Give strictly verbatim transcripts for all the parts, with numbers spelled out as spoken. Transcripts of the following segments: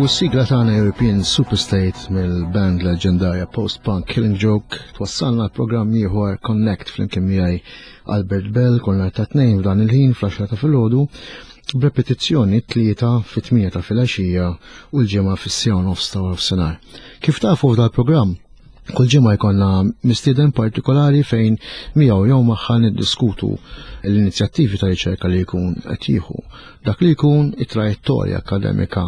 S-sigla tagħna European Superstate mill-band leġendarja post-punk Killing Joke twassalna l-programm ieħor Connect flimkien miegħi Albert Bell kull nhar ta' Tnejn f'dan il-ħin fl-għaxra ta' filgħodu, b'repetizzjoni Tlieta fit-tmienja ta' filgħaxija u l-Ġimgħa fis-siegħa nofs ta' nofsinhar. Kif tafu, f'dal-programm kull ġimgħa jkollna mistieden partikolari fejn miegħu jew magħha niddiskutu l-inizjattivi ta' riċerka li jkun qed jieħu. Dak li jkun it-trajettorja akademika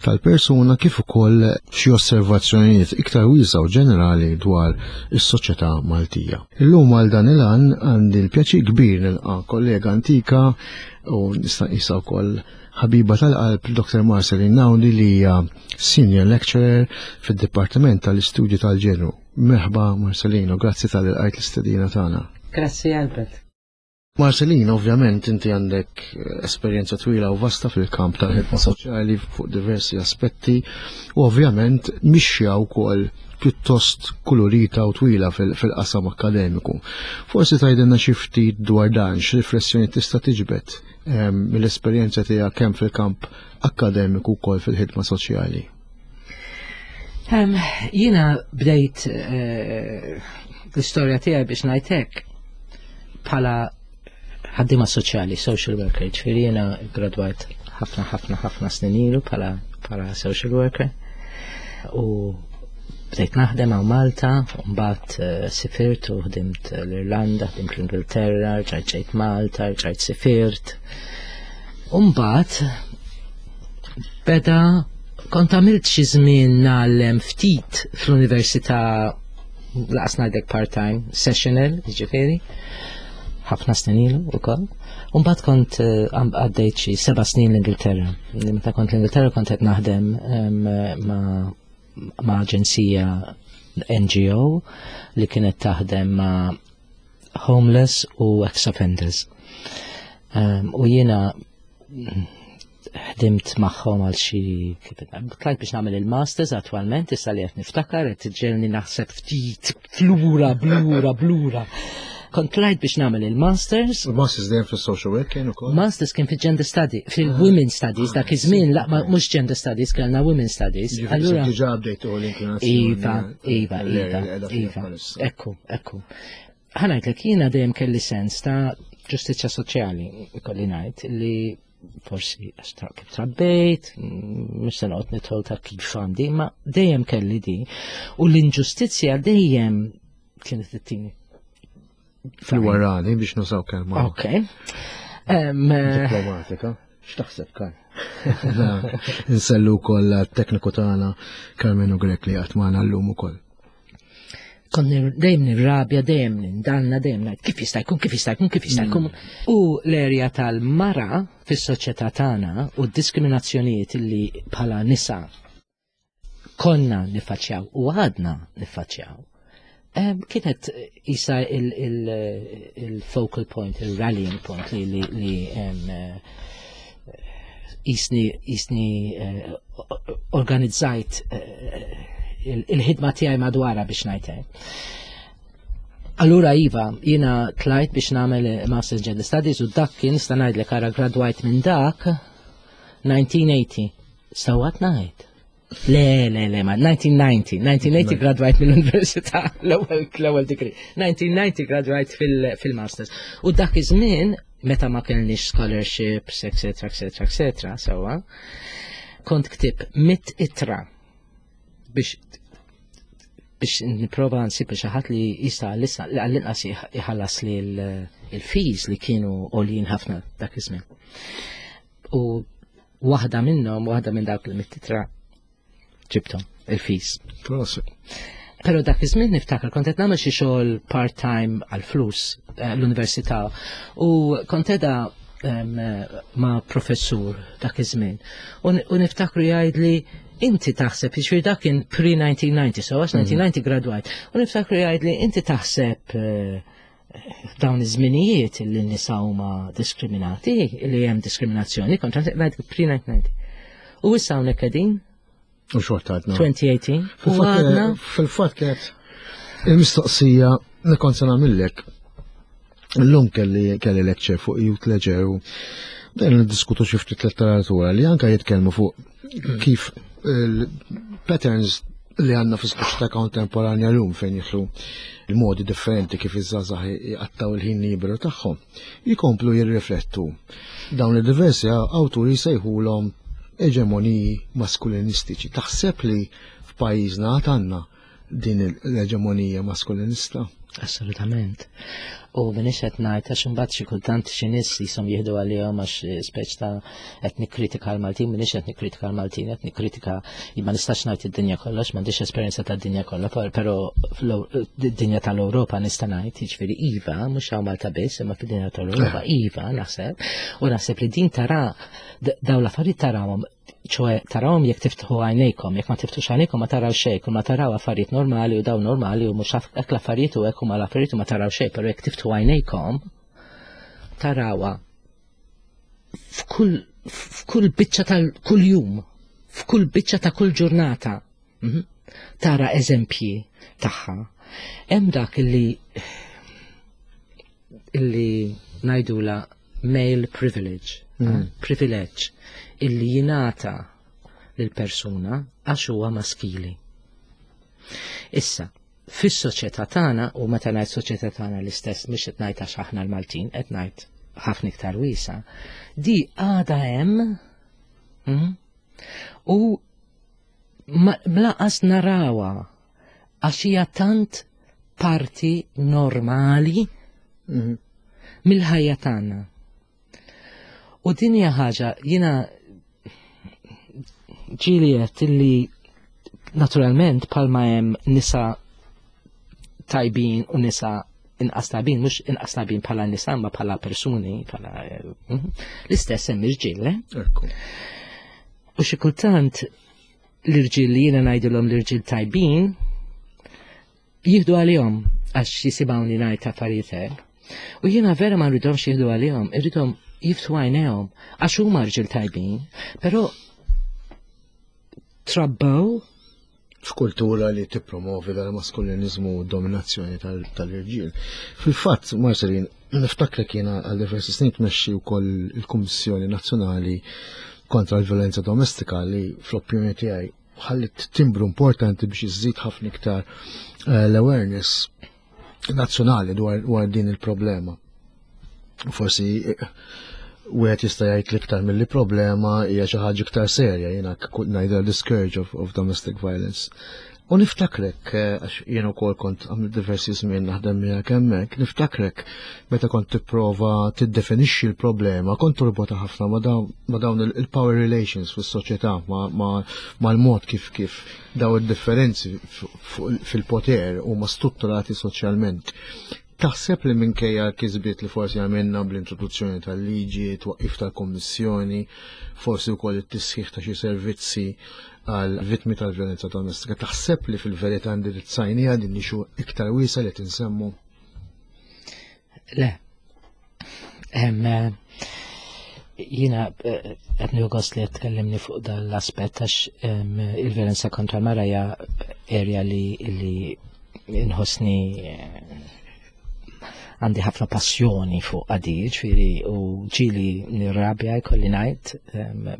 tal-persuna kif ukoll xi osservazzjonijiet iktar wiesa u ġenerali dwar is-soċjetà Maltija. Illum għal dan il-għan għandi l-pjaċir kbir nilqa' kollega antika u nista' nqisha wkoll ħabiba tal-qalb, Doktor Marceline Naudi, li hija Senior Lecturer fid-Dipartiment tal-Istudju tal-Ġenru. Merħba, Marceline, u grazzi talli lqajt l-istedina tagħna. Grazzi, Albert. Marceline, ovvjament inti għandek esperjenza twila u vasta fil-kamp tal-ħidma soċjali fuq diversi aspetti u ovvjament mixja wkoll pjuttost kulurita u twila fil-qasam akademiku. Forsi tgħidilna xi ftit dwar dan, x'riflessjoni tista' tiġbed ehm, mill-esperjenza tiegħek kemm fil-kamp akademiku wkoll fil-ħidma soċjali. Um, jiena bdejt uh, l-istorja tiegħi, biex ngħidlek, bħala ħaddima soċjali, social worker, ġifieri jiena gradwajt ħafna ħafna ħafna snin ilu bħala bħala social worker u bdejt naħdem hawn Malta, mbagħad uh, sifirt u ħdimt l-Irlanda, ħdimt l-Ingilterra, rġajt ġejt Malta, rġajt sifirt. U mbagħad beda kont għamilt xi żmien ngħallem ftit fl-università, lanqas ngħidlek part-time, sessional, ġifieri, ħafna snin ilu ukoll. U mbagħad kont eh, għaddejt xi seba' snin l-Ingilterra. Meta kont l-Ingilterra kont qed naħdem ma' ma' aġenzija N G O li kienet taħdem ma' homeless u ex-offenders. U jiena ħdimt magħhom għal xi, tlajt biex nagħmel il-masters attwalment, issa li qed niftakar, qed ġelni naħseb ftit flura, blura, blura. Kont tlajt biex nagħmel il-masters. Il-masters dejjem fil-social work kien ukoll? Masters kien fil-gender study, fil-women studies, dak iż-żmien, la, mhux gender studies, kellna women studies. Allura diġà bdejtu l-inklinazzjoni. Iva, iva, iva, iva. Ekku, ekku. Ħa ngħidlek, jiena dejjem kelli sens ta' ġustizzja soċjali, ikolli ngħid li forsi kif trabbejt, mhux se noqgħod nidħol ta' kif għandi, ma dejjem kelli di. U l-inġustizzja dejjem kienet ittini fil-warani, biex nużaw kelma. Ok. Diplomatika. X'taħseb, Karl? Insellmu wkoll tekniku tagħna Carmenu Grek li qatt magħna llum ukoll. Kont dejjem nirrabja, dejjem nindanna, dejjem ngħid kif jista' jkun, kif jista' jkun, kif jista' jkun. Mm. U l-erja tal-mara fis-soċjetà tagħna u d-diskriminazzjonijiet li bħala nisa konna niffaċċjaw u għadna niffaċċjaw, kienet isa il-focal point, il-rallying point li li jisni jisni eh, organizzajt eh, il-ħidma tiegħi madwara, biex ngħid. Allura iva, jiena tlajt biex nagħmel Masters Gender Studies u dak kien, sta ngħidlek, ara, gradwajt minn dak elf disa' mija u tmenin. Sewwa ngħid? Le, le, le, ma elf disa' mija u disgħin, elf disa' mija u tmenin gradwajt mill-università, l-ewwel l-ewwel degree. elf disa' mija u disgħin gradwajt fil-masters. U dak iż-żmien meta ma kellniex scholarships, eccetera, eccetera, eccetera, sewwa, kont ktibt mitt ittra biex biex niprova nsib xi ħadd li jista' għall-inqas iħallas li l-fees li kienu għoljin ħafna dak iż-żmien. U waħda minnhom, waħda minn dawk il-mitt ittra, ġibthom il-fees. Pero dak iż-żmien niftakar kont qed nagħmel xi xogħol part-time għal flus eh, l-università u kont qiegħda ma' professur dak iż-żmien. U niftakru jgħidli, "Inti taħseb", jiġifieri dak kien pre-elf disa' mija u disgħin, so għax elf disa' mija u disgħin gradwajt. U niftakru jgħidli, "Inti taħseb eh, dawn iż-żminijiet li n-nisa huma diskriminati, li hemm diskriminazzjoni kontra?" Pre-elf disa' mija u disgħin. U issa hawnhekk qegħdin U xorta għadna. elfejn u tmintax. U għadna. Fil-fatt kienet il-mistoqsija li kont se nagħmillek. Illum kelli kelli lecture fuq Youth Leisure u dejjem niddiskutu xi ftit letteratura li anka jitkellmu fuq kif Il-patterns li għandna fis-soċjetà kontemporanja llum fejn jidħlu il-modi differenti kif iż-żgħażagħ jqattaw il-ħin liberu tagħhom, jikomplu jirriflettu dawn il-diversi awturi sejħulhom eġemoniji maskulinistiċi. Taħseb li f'pajjiżna għandna din l-eġemonija maskulinista? Assolutament. U minix qed ngħid, għax imbagħad xi kultant xi nies jisom jieħdu għalihom għax speċ ta' qed nikkritika l-Maltin. Minix qed nikkritika l-Maltin, qed nikkritika, ma nistax ngħid id-dinja kollox, m'għandix esperjenza tad-dinja kollha, però id-dinja tal-Ewropa nista' ngħid, jiġifieri iva, mhux hawn Malta biss, imma fid-dinja tal-Ewropa iva naħseb, u naħseb li din tara dawn l-affarijiet tarawhom, ċoè tarawhom jekk tiftħu għajnejkom. Jekk ma tiftħux għajnejkom ma taraw xejn, kull ma taraw affarijiet normali u dawn normali u mhux hekk l-affarijiet u hekk huma l-affarijiet u ma taraw xejn, però jekk tiftħu għajnejkom tarawha f'kull f'kull biċċa tal-kull jum, f'kull biċċa ta' kull ġurnata. Mhm. Tara eżempji tagħha. Hemm dak illi illi ngħidula male privilege, mm. privilege illi jingħata lil persuna għax huwa maskili. Issa, fis-soċjetà tagħna, u meta ngħid soċjetà tagħna l-istess mhux qed ngħid għax aħna l-Maltin, qed ngħid ħafna iktar wiesa, di għada hemm mm, u mlaqas narawha għax hija tant parti normali mm-hmm. mill-ħajja tagħna. U din hija ħaġa jiena ġieli għedt illi naturalment palma hemm nisa tajbin u nisa inqas tajbin, mhux inqas tajbin bħala nisa ma bħala persuni, bħala mhm. l-istess hemm irġiel, eh? U xi kultant l-irġiel li jiena ngħidilhom l-irġiel tajbin jieħdu għalihom għax jisimgħuni ngħid affarijiet hekk. U jiena vera ma rridhomx jieħdu għalihom, irridhom jiftħu għajnejhom għax huma rġiel tajbin, però trabbew f'kultura li tippromovi dal-maskulinizmu u dominazzjoni tal-irġiel. Fil-fatt, Marceline, niftakrek jiena għal diversi snin tmexxi wkoll il-Kummissjoni Nazzjonali kontra l-Violenza Domestika li fl-opinjoni tiegħi ħallit timbru importanti biex iżżid ħafna iktar eh, l-awareness nazzjonali dwar din il-problema. Forsi eh, wieħed jista' jgħid l-iktar milli problema hija xi ħaġa iktar serja, jiena ngħidha the scourge of, of domestic violence. U niftakrek, eh, għax jien ukoll kont għamil diversi żmien naħdem miegħek hemmhekk, niftakrek meta kont tipprova tiddefinixxi l-problema, kont torbota ħafna ma' dawn il-power relations fis-soċjetà, mal-mod kif kif daw id-differenzi fil-poter huma strutturati soċjalment. Taħseb li minkejja l-kisbiet li forsi għamilna bl-introduzzjoni tal-liġi, twaqqif tal-kommissjoni, forsi wkoll it-tisħiħ ta' xi servizzi għal vittmi tal-violenza domestika, taħseb li fil-verità indirizzajniha din issue iktar wiesa li tinsemmu? Le. Jiena eh, qed gost li qed tkellimni fuq dal-aspett għax il-violenza kontra l-mara hija area li li inħossni eh, għandi ħafna passjoni fuq għadi, ġifieri u ġieli nirrabja, jkolli ngħid,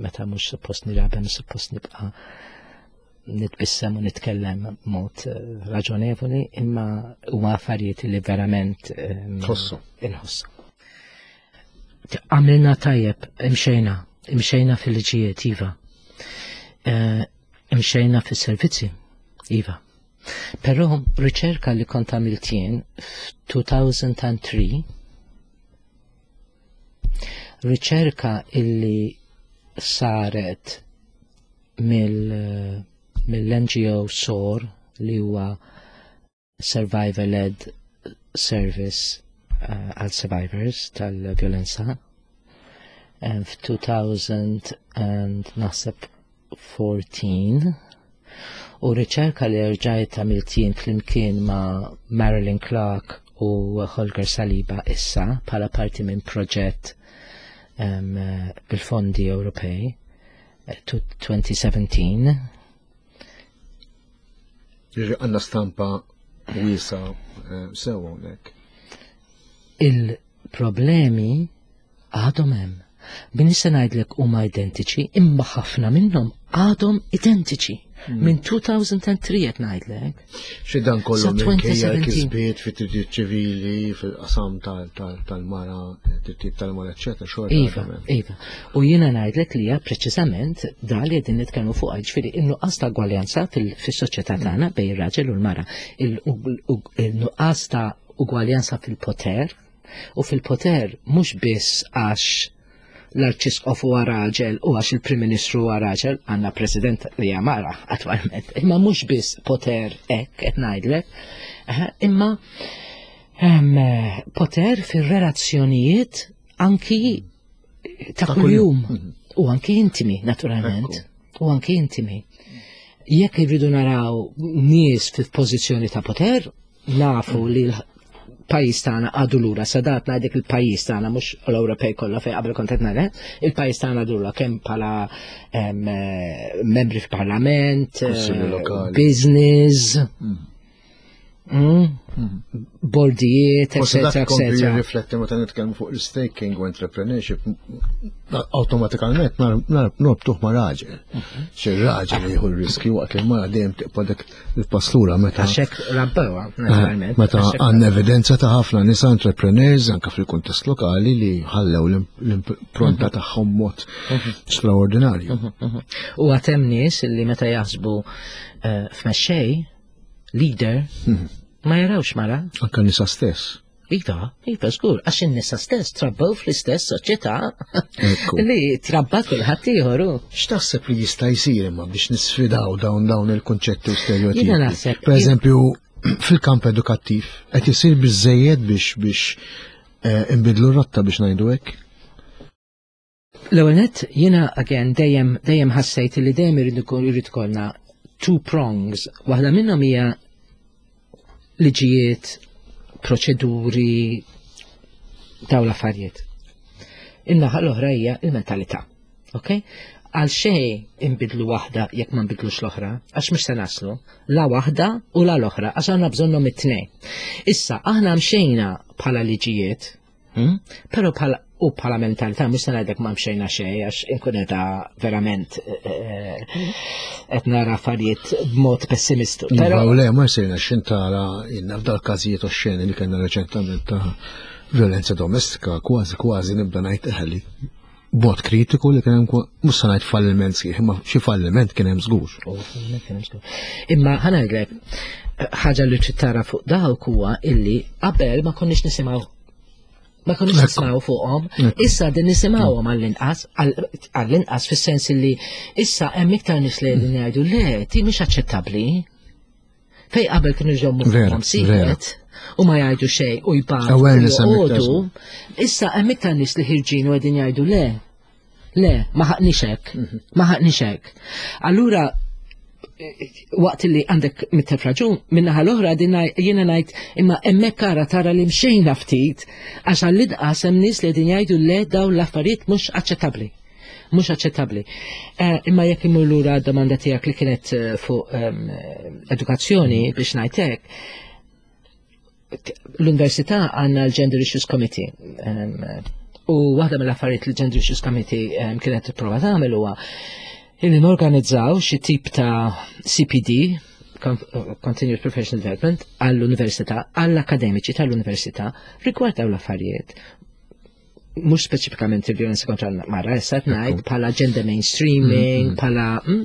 meta mhux suppost nirrabja, mhux suppost nibqa' nitbissem u nitkellem mod eh, raġonevoli, imma huma affarijiet li verament Tħossu. Inħossu. Għamilna tajjeb, imxejna, imxejna fil-liġijiet, iva. Eh, imxejna fis-servizzi, iva. Però riċerka li kont għamilt jien f'elfejn u tlieta, riċerka illi saret mill mill-N G O SOAR, li huwa Survivor Led Service uh, għal survivors tal-violenza, um, f'elfejn and naħseb erbatax, u riċerka li rġajt għamilt jien flimkien ma' Marilyn Clark u Holger Saliba issa bħala parti minn proġett um, bil-fondi Ewropej eh, elfejn u sbatax. Jiġi għandna stampa wiesa eh, sew hawnhekk. Il-problemi għadhom hemm. M'iniex se ngħidlek huma identiċi, imma ħafna minnhom għadhom identiċi. Minn elfejn u tlieta qed ngħidlek. Xi dan kollu Sa minkejja elfejn u sbatax. l-kisbiet fit-drittijiet ċivili, fil-qasam tal- tal- tal-mara, drittijiet tal-mara, eċċetera, xorta. Iva, għadhom hemm. Iva. U jiena ngħidlek li hija preċiżament da li qegħdin nitkellmu fuq, ġifieri in-nuqqas ta' ugwaljanza fil- fis-soċjetà tagħna bejn ir-raġel u l-mara. Il- u- Il-nuqqas ta' ugwaljanza fil-poter, u fil-poter mhux biss għax l-arċisqof huwa raġel u għax il-Prim Ministru huwa raġel, għandna President li hija mara attwalment, imma mhux biss poter hekk qed ngħidlek, eh, imma em, poter fir-relazzjonijiet anki ta' Ta' kuljum kuljum. u anki intimi naturalment u anki intimi. Jekk irridu naraw nies fi pożizzjoni ta' poter, nafu li l-pajjiż tagħna għadu lura, sadat ngħidlek il-pajjiż tagħna, mhux l-Ewropej kollha fejn qabel kont qed ngħid, il-pajjiż tagħna għadu lura kemm bħala em, eh, membri fil-parlament, eh, Kunsilli lokali. business, mm, bordijiet, Forsi dak eccetera, kompli eccetera. jirrifletti meta nitkellmu fuq il-staking u entrepreneurship, awtomatikament norbtuh ma' raġel. Xi raġel jieħu r-riski waqt li mara dejjem tibqa' dak il-pass lura meta Għax hekk rabbewha, naturalment. Meta Għax hekk għandna evidenza ta' ħafna nisa entrepreneurs anka fil-kuntest lokali li ħallew l-impronta tagħhom mod straordinarju. U għad hemm nies li meta jaħsbu eh, f'mexxej, leader, ma jarawx mara. Anka nisa stess. Iva, iva, żgur, għax in-nisa stess trabbew fl-istess soċjetà Ekku. li trabbat kulħadd ieħor hu. X'taħseb li jista' jsir imma biex nisfidaw dawn dawn il-konċetti u stereotipi? Jiena naħseb- Per eżempju, fil-kamp edukattiv qed isir biżejjed biex biex eh, inbidlu r-rotta, biex ngħidu hekk? L-ewwel nett, jiena again dejjem dejjem ħassejt li dejjem irid ikun irid ikollna two prongs. Waħda minnhom hija liġijiet, proċeduri, dawn l-affarijiet. In-naħa l-oħra hija il-mentalità. Ok? Għal xejn inbidlu waħda jekk ma nbidlux l-oħra, għax mhux se naslu, la waħda u la l-oħra, għax għandna bżonnhom it-tnejn. Issa, aħna mxejna bħala liġijiet, hmm? Pero bħala u bħala mentalità, mhux se ngħidlek ma mxejna xejn, għax inkun qed verament eh, qed nara affarijiet b'mod pessimistu. Però Però le, ma jsirna xintara inna f'dal każijiet oxxeni li kellna reċentament ta' violenza domestika, kważi kważi nibda ngħid eħli b'mod kritiku li kien hemm kwa- mhux se ngħid falliment sħiħ, imma xi falliment kien hemm żgur. Oh, falliment kien hemm żgur. Imma ħa ngħidlek ħaġa li trid tara fuq dawk huwa illi qabel ma konniex nisimgħu ma konniex Ekku. nisimgħu fuqhom, Ekku. Issa din nisimgħuhom għall-inqas, għall- għall-inqas fis-sens illi issa hemm iktar nies li qegħdin jgħidu: le, ti mhix aċċettabbli. Fej qabel kienu jżommu Vera, fuqhom sigriet u ma jgħidu xejn u jbatu u Awareness hemm iktar. joqogħdu, issa hemm iktar nies li ħirġin u qegħdin jgħidu: le. Le, ma ħaqnix hekk, ma ħaqnix hekk. Allura waqt li għandek mitt elf raġun, minnaħa l-oħra din jiena ngħid imma hemmhekk ara tara li mxejna ftit, għax għall-inqas hemm nies li qegħdin jgħidu: le, dawn l-affarijiet mhux aċċettabbli. Mhux aċċettabbli. Eh, imma jekk imur lura d-domanda tiegħek li kienet eh, fuq ehm, edukazzjoni, biex ngħidlek, l-università għandna l-Gender Issues Committee. Ehm, u waħda mill-affarijiet li Gender Issues Committee ehm, kienet tipprova tagħmel huwa illi norganizzaw xi tip ta' C P D, Con- Continuous Professional Development, għall-università, għall-akademiċi tal-università, rigward dawn l-affarijiet. Mhux speċifikament il-violenza kontra l-mara, issa qed ngħid bħala gender mainstreaming, bħala mm,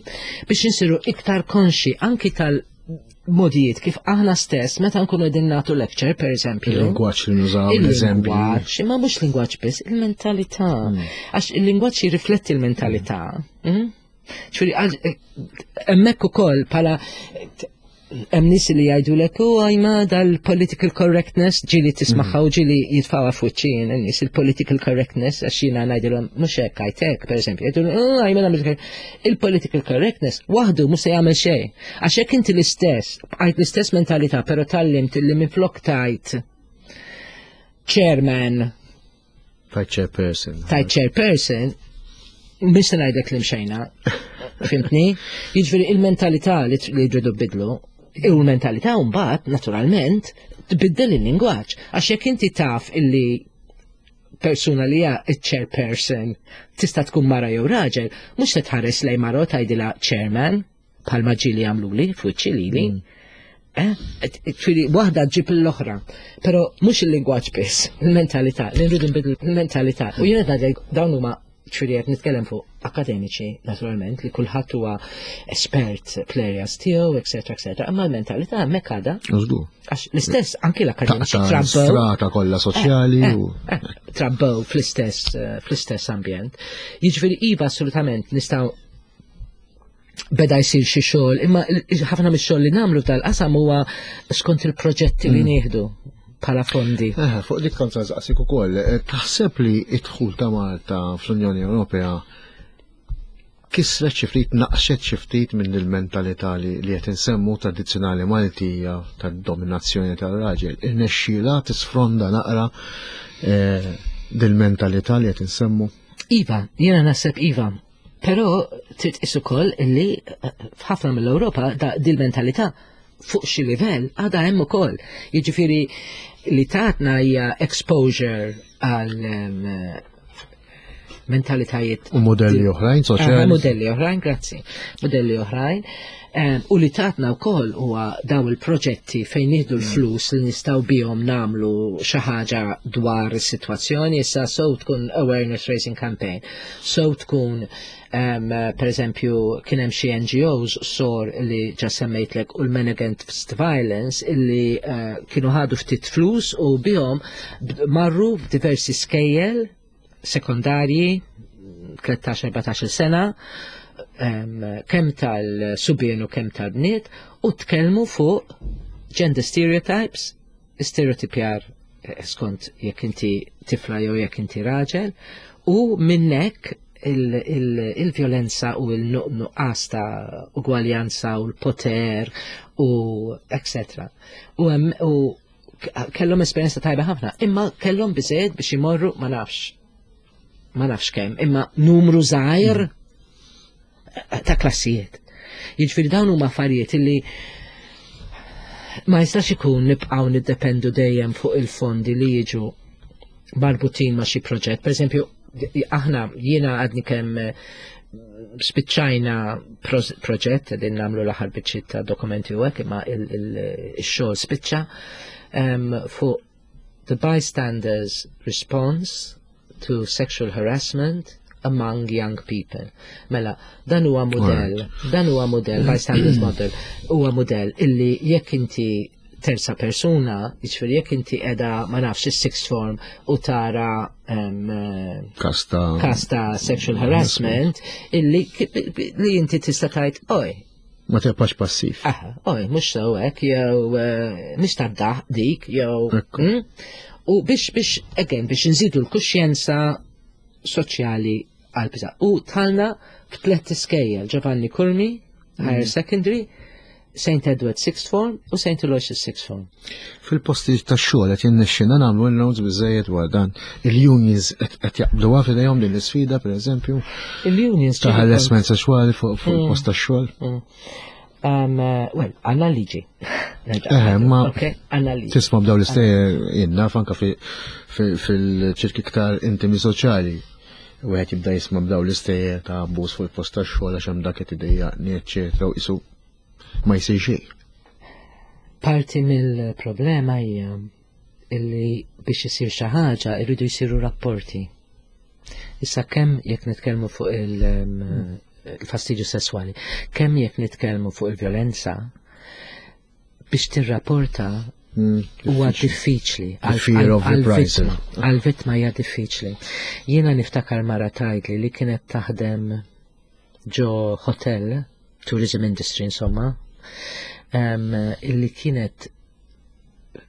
biex insiru iktar konxi anki tal-modijiet kif aħna stess meta nkunu qegħdin nagħtu lecture, per eżempju. Il-lingwaġġ li nużaw, l-eżempji. Il-lingwaġġ, imma mhux lingwaġġ biss, il-mentalità. Għax il-lingwaġġ jirrifletti l-mentalità. Mm? Ġifieri, għal- eh, hemmhekk ukoll bħala hemm nies li jgħidulek u għajma dal-political correctness, ġieli tismagħha u ġieli jitfgħuha f'wiċċi n-nies il-political correctness, għax jiena ngħidilhom mhux hekk għajtek, pereżempju, jgħidu: "Oh, għajma nagħmel il-political correctness waħdu mhux se jagħmel xejn." Għax jekk inti l-istess, bqajt l-istess mentalità, però tgħallimt li minflok tgħid chairman Tgħid chairperson. Tgħid chairperson, mhux se ngħidlek li mxejna. Fhimtni? Jiġifieri il-mentalità li li jridu bidlu, u l-mentalità mbagħad naturalment tbiddel il-lingwaġġ. Għax jekk inti taf illi persuna li hija chairperson tista' tkun mara jew raġel, mhux se tħares lejn mara u tgħidilha "chairman" bħalma ġieli għamluli fuċċi lili. Mm. Eh? Ġifieri, waħda ġib l-oħra. Pero mhux il-lingwaġġ biss, il-mentalità, li nridu nbidlu il-mentalità. U jiena dawn huma, ġifieri qed nitkellem fuq akademiċi, naturalment, li kulħadd huwa espert fl-areas tiegħu, eċetera, eċetera. Imma l-mentalità hemmhekk għadha. Għax l-istess anki l-akademiċi trabbew. Strata kollha soċjali eh, u. Eh, trabbew fl-istess fl-istess ambjent. Jiġifieri iva, assolutament nistgħu beda jsir xi xogħol, imma ħafna mix-xogħol li nagħmlu tal-qasam huwa skont il-proġetti li mm. nieħdu bħala fondi. Eh, fuq dik kont nsaqsik ukoll, eh, taħseb li id-dħul ta' Malta fl-Unjoni Ewropea kisret xi ftit, naqxet xi ftit minn il-mentalità li qed insemmu tradizzjonali Maltija tad-dominazzjoni tal-raġel? Irnexxiela tisfronda naqra eh, dil-mentalità li qed insemmu? Iva, jiena naħseb iva. Però trid tqis ukoll li f'ħafna mill-Ewropa dil-mentalità fuq xi livell għadha hemm ukoll. Jiġifieri li tatna hija exposure għal mentalitajiet u modelli oħrajn soċjali. Modelli oħrajn, grazzi. Modelli oħrajn. U li tatna wkoll huwa daw il-proġetti fejn nieħdu l-flus li nistgħu bihom nagħmlu xi ħaġa dwar is-sitwazzjoni, issa so tkun awareness raising campaign, so tkun um, per eżempju kien hemm xi N G Os sor li ġa semmejtlek u l-Men Against Violence illi uh, kienu ħadu ftit flus u bihom marru f'diversi skejjel sekondarji tlettax erbatax-il sena, um, kemm tal-subien u kemm tal-bniet, u tkellmu fuq gender stereotypes, stereotipjar eh, skont jekk inti tifla jew jekk inti raġel, u minnek il-violenza u il-nuqqas ta' ugwaljanza u l-poter u et cetera. U, u kellhom esperjenza tajba ħafna, imma kellhom biżejjed biex imorru ma nafx ma nafx kemm, imma numru żgħir ta' klassijiet. Jiġifieri dawn huma affarijiet illi ma jistax ikun nibqgħu niddependu dejjem fuq il-fondi li jiġu marbutin ma' xi proġett. Per eżempju, aħna jiena għadni kemm eh, spiċċajna proġett, qegħdin nagħmlu l-aħħar biċċiet ta' dokumenti u hekk, imma il-xogħol spiċċa fuq the bystanders' response to sexual harassment among young people. Mela, dan huwa modell, dan huwa modell, bystanders model, huwa modell illi jekk inti terza persuna, jiġifieri jekk inti qiegħda, ma nafx, is-sixth form u tara um, kasta kasta sexual harassment, illi li inti tista' tgħid, "Oj," ma tibqax passiv. Aha, "Oj, mhux sew hekk," jew eh, "mhix tad dik," jew hmm? U biex biex again biex nżidu l-kuxjenza soċjali għal biża. U dħalna f'tlet iskejjel: Giovanni Curmi, Higher mm. Secondary, Saint Edward Sixth Form u Saint Aloysius Sixth Form. Fil-posti ta' xogħol qed jinnexxina nagħmlu inroads biżejjed dwar dan? Il-unions qed jaqbluha f'idejhom din l-isfida, pereżempju? Il-unions ta' harassment sesswali fuq mm. il-post tax-xogħol? Mm. Um, uh, well, għandna liġi. Eh, ma għandna liġi. Tisma' b'daw l-istejjer, jien naf anka fil-ċirki iktar intimi soċjali. Wieħed jibda jisma' b'daw l-istejjer ta' abbuż fuq il-post tax-xogħol għax hemm dak qed idejjaqni, eċċetera, u qisu ma jsir xejn. Parti mill-problema hija illi biex isir xi ħaġa irridu jsiru rapporti. Issa kemm jekk nitkellmu fuq il-fastidju sesswali, kemm jekk nitkellmu fuq il-vjolenza, biex tirrapporta mm, huwa diffiċli. Għal-vittma. Għal-vittma hija diffiċli. Jiena niftakar mara tgħidli li kienet taħdem ġo hotel, tourism industry insomma, um, illi kienet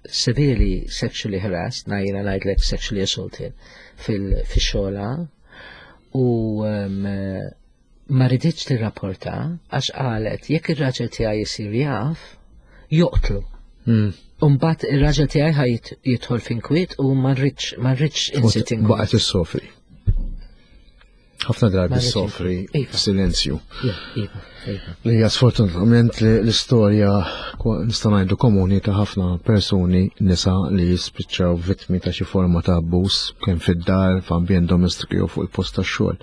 severely sexually harassed, na jiena ngħidlek sexually assaulted fil-xogħla u um, ma riditx tirrapporta għax qalet jekk ir-raġel tiegħi jsir jaf joqtlu. Mm. Umbat ir-raġel tiegħi ħa jidħol f'inkwiet u ma rridx ma rridx insit inkwiet. Baqgħet issofri. Ħafna drabi Ma rridx soffri iva. silenzju. Iva, iva. Li hija sfortunatament li l-istorja kwa- nista' ngħidu komuni ta' ħafna persuni nisa li jispiċċaw vittmi ta' xi forma ta' abbuż kemm fid-dar, f'ambjent domestiku jew fuq il-post tax-xogħol.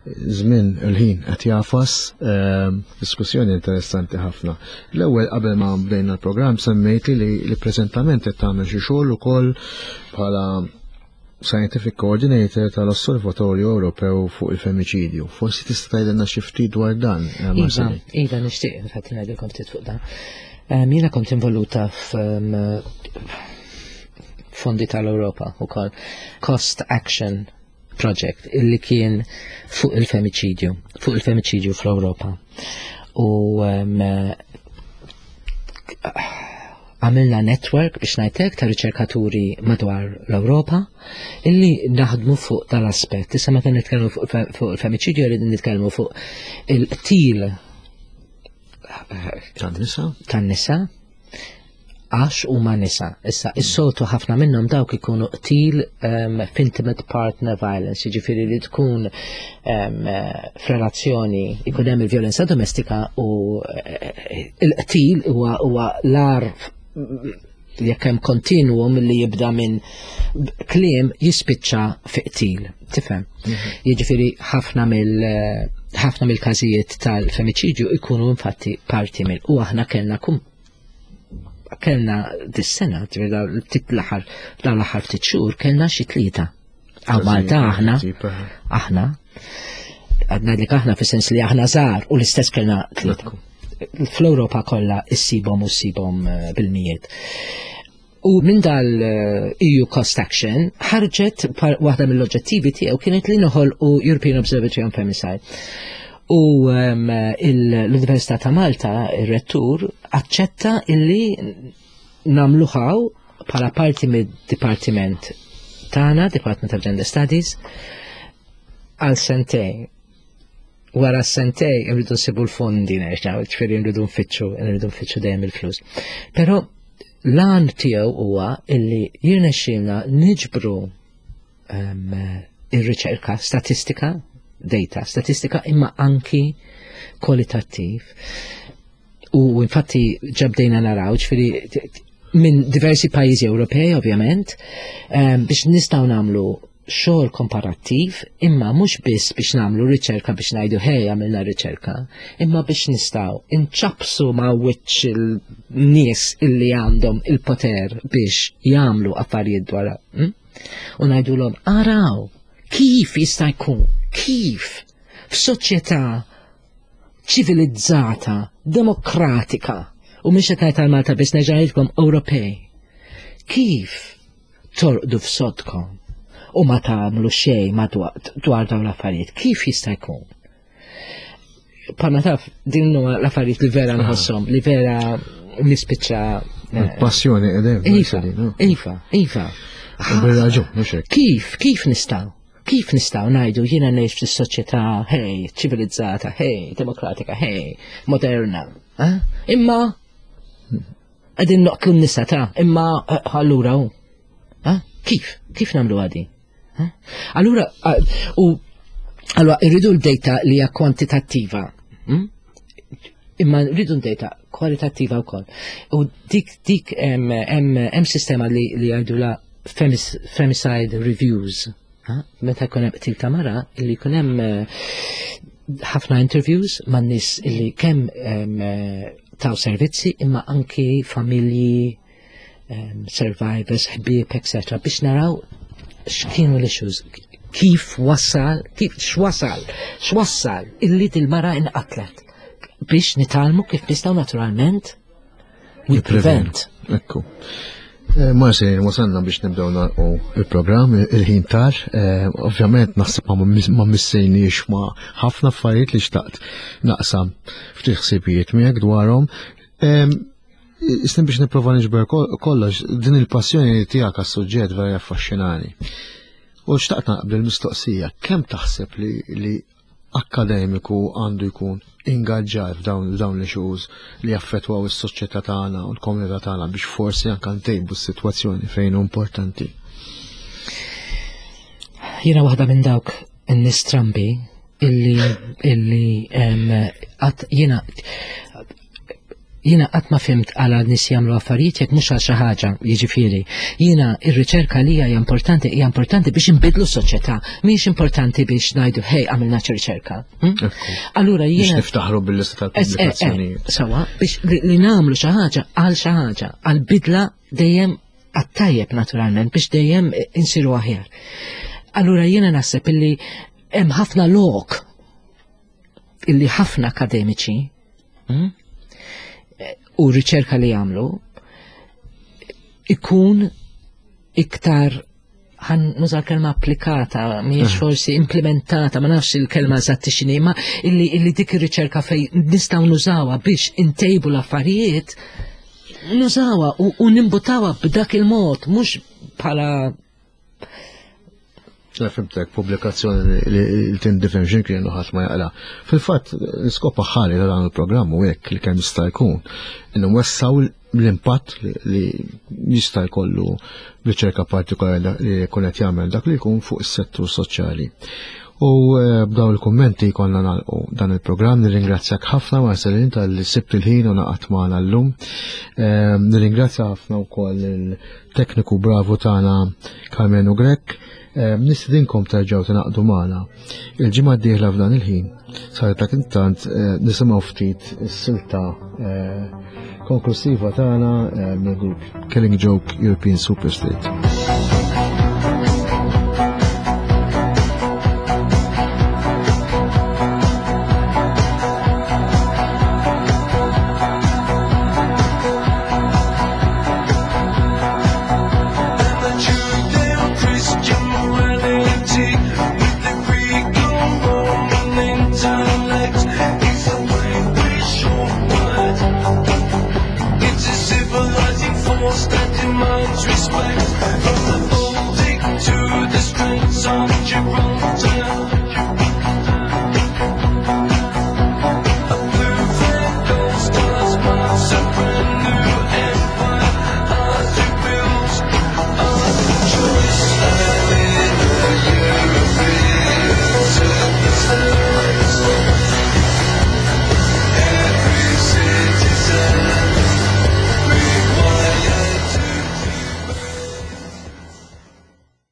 Żmien il-ħin qed jagħfas, ehm, diskussjoni interessanti ħafna. L-ewwel qabel ma bdejna l-programm semmejti li li preżentament qed tagħmel xi xogħol ukoll bħala Scientific Coordinator tal-Osservatorju Ewropew fuq il-Femiċidju. Forsi tista' tgħidilna xi ftit dwar dan, eh, Iva, Marceline. Iva, nixtieq, infatti ngħidilkom ftit fuq dan. Em, Jiena kont involuta f'fondi tal-Ewropa ukoll. Cost Action Project illi kien fuq il-femiċidju, fuq il-femiċidju fl-Ewropa. U em, għamilna network biex ngħidlek ta' riċerkaturi madwar l-Ewropa illi naħdmu fuq tal-aspett. Issa meta nitkellmu fuq fuq il-femiċidju rridu nitkellmu fuq il-qtil Tan-nisa? tan-nisa għax huma nisa. Issa, is-soltu ħafna minnhom dawk ikunu qtil um, f'intimate partner violence, jiġifieri li tkun um, f'relazzjoni ikun hemm il-vjolenza domestika u eh, il-qtil huwa huwa l-ar jekk hemm continuum li jibda minn kliem jispiċċa fi qtil, tifhem? Jiġifieri ħafna mill ħafna mill-każijiet tal-femiċidju ikunu infatti parti mill u aħna kellna kum kellna dis-sena, ġifieri dawn ftit l-aħħar dawn l-aħħar ftit xhur kellna xi tlieta. Hawn Malta aħna aħna għadna li aħna fis-sens li aħna żgħar u l-istess kellna tlieta. Fl-Ewropa kollha issibhom u ssibhom eh, bil-mijiet. U minn dal-E U Cost Action ħarġet par- waħda mill-oġġettivi tiegħu kienet li noħolqu European Observatory on Femicide. U um, il- l-Università ta' Malta, il-rettur, aċċetta illi nagħmluha bħala parti mid-dipartiment tagħna, Department of Gender Studies, għal sentejn. Wara sentejn irridu nsibu l-fondi nerġgħu, ġifieri nridu nfittxu, nridu nfittxu dejjem il-flus. Però l-għan tiegħu huwa illi jirnexxielna niġbru um, ir-riċerka, statistika, data, statistika imma anki kwalitattiv. U infatti ġa bdejna naraw, ġifieri t- t- minn diversi pajjiżi Ewropej, ovvjament, um, biex nistgħu nagħmlu xogħol komparattiv, imma mhux biss biex nagħmlu riċerka biex ngħidu "Hej, għamilna riċerka", imma biex nistgħu inċapsu ma' wiċċ il-nies illi għandhom il-poter biex jagħmlu affarijiet dwar hm? U ngħidulhom, "Araw kif jista' jkun, kif f'soċjetà ċivilizzata, demokratika, u mhux qed ngħid għal Malta biss, nerġa' ngħidilkom Ewropej, kif torqdu f'sodkom u ma tagħmlu xejn madwar dwar dawn l-affarijiet, kif jista' jkun?" Bħalma taf, din huma l-affarijiet li vera nħosshom, li vera nispiċċa eh, Passjoni edem. Iva, iva, iva. Bir-raġun, mhux hekk. Kif, kif nistgħu? Kif nistgħu ngħidu jiena ngħix fis-soċjetà, hej, ċivilizzata, hej, demokratika, hej, moderna, eh? Imma qegħdin noqtlu n-nisa ta' imma eh, allura hu. Eh? Kif? Kif nagħmlu għadi? Eh? Allura, eh, u allura irridu l-data li hija kwantitattiva. hm? Imma rridu data kwalitattiva wkoll. U dik dik hemm hemm sistema li li jgħidula femis, femicide reviews. Ha? Meta jkun hemm qtil ta' mara, illi jkun hemm eh, ħafna interviews man nies illi kemm em, eh, taw servizzi imma anki familji, em, survivors, ħbieb, et cetera biex naraw x'kienu l-issues, kif wasal, kif x'wasal, x'wassal illi dil-mara inqatlet biex nitgħallmu kif nistgħu naturalment we prevent. Ekku. Eh, Marceline, wasalna biex nibdew nagħlqu il-programm, il-ħin tar. Eh, Ovvjament naħseb ma ma missejniex ma ħafna affarijiet li xtaqt naqsam ftit ħsibijiet miegħek dwarhom. Em, Istim biex nipprova niġber kol- kollox, din il-passjoni tiegħek għas-suġġett vera affaxxinani. U xtaqt naqbel il-mistoqsija, kemm taħseb li, li akkademiku għandu jkun ingaġġat f'dawn f'dawn l-issues li jaffettwaw is-soċjetà tagħna u l-komunità tagħna biex forsi anke ntejbu s-sitwazzjoni fejn hu importanti? Jiena waħda minn dawk n-nies strambi illi illi em, qatt jiena jiena qatt ma fhimt għala nies jagħmlu affarijiet jekk mhux għal xi ħaġa, jiġifieri. Jiena ir-riċerka li hija importanti hija importanti biex inbidlu s-soċjetà, mhijiex importanti biex ngħidu, "Hej, għamilna xi riċerka." Hm? Ekku. Allura Biex jiena niftaħru bil-lista Es- eh, eh, tal-pubblikazzjonijiet. Sawa, biex li, li nagħmlu xi ħaġa għal xi ħaġa, għal bidla dejjem għat-tajjeb naturalment, biex dejjem insiru aħjar. Allura jiena naħseb illi hemm ħafna lok illi ħafna akademiċi hm, u riċerka li jagħmlu ikun iktar, ħa nuża l-kelma applikata, mhijiex forsi implementata, ma nafx il-kelma eżatti x'inhi, ma illi, illi dik ir-riċerka fej nistgħu nużawha biex intejbu l-affarijiet, nużawha u, u nimbutawha b'dak il-mod, mhux bħala La fhimtek, pubblikazzjoni li li tindifen x'imkien u ħadd ma jaqra. Fil-fatt, l-iskop aħħari ta' dan il-programm u hekk li kemm jista' jkun innu nwessgħu l-impatt li- li jista' jkollu riċerka partikolari li jkun qed jagħmel dak li jkun fuq is-settur soċjali. U eh, b'daw il-kummenti konna nagħlqu dan il-programm. Nirringrazzjak ħafna, Marcelin, talli sibt il-ħin u ngħaqadt magħna llum. Eh, Nirringrazzja ħafna wkoll il-tekniku bravu tagħna Carmenu Grek. Eh, Nistedinkom terġgħu tingħaqdu magħna il-ġimgħa d-dieħla f'dan il-ħin. Sa dak intant eh, nisimgħu ftit is-silta eh, konklusiva tagħna eh, mill-grupp Killing Joke, European Superstate.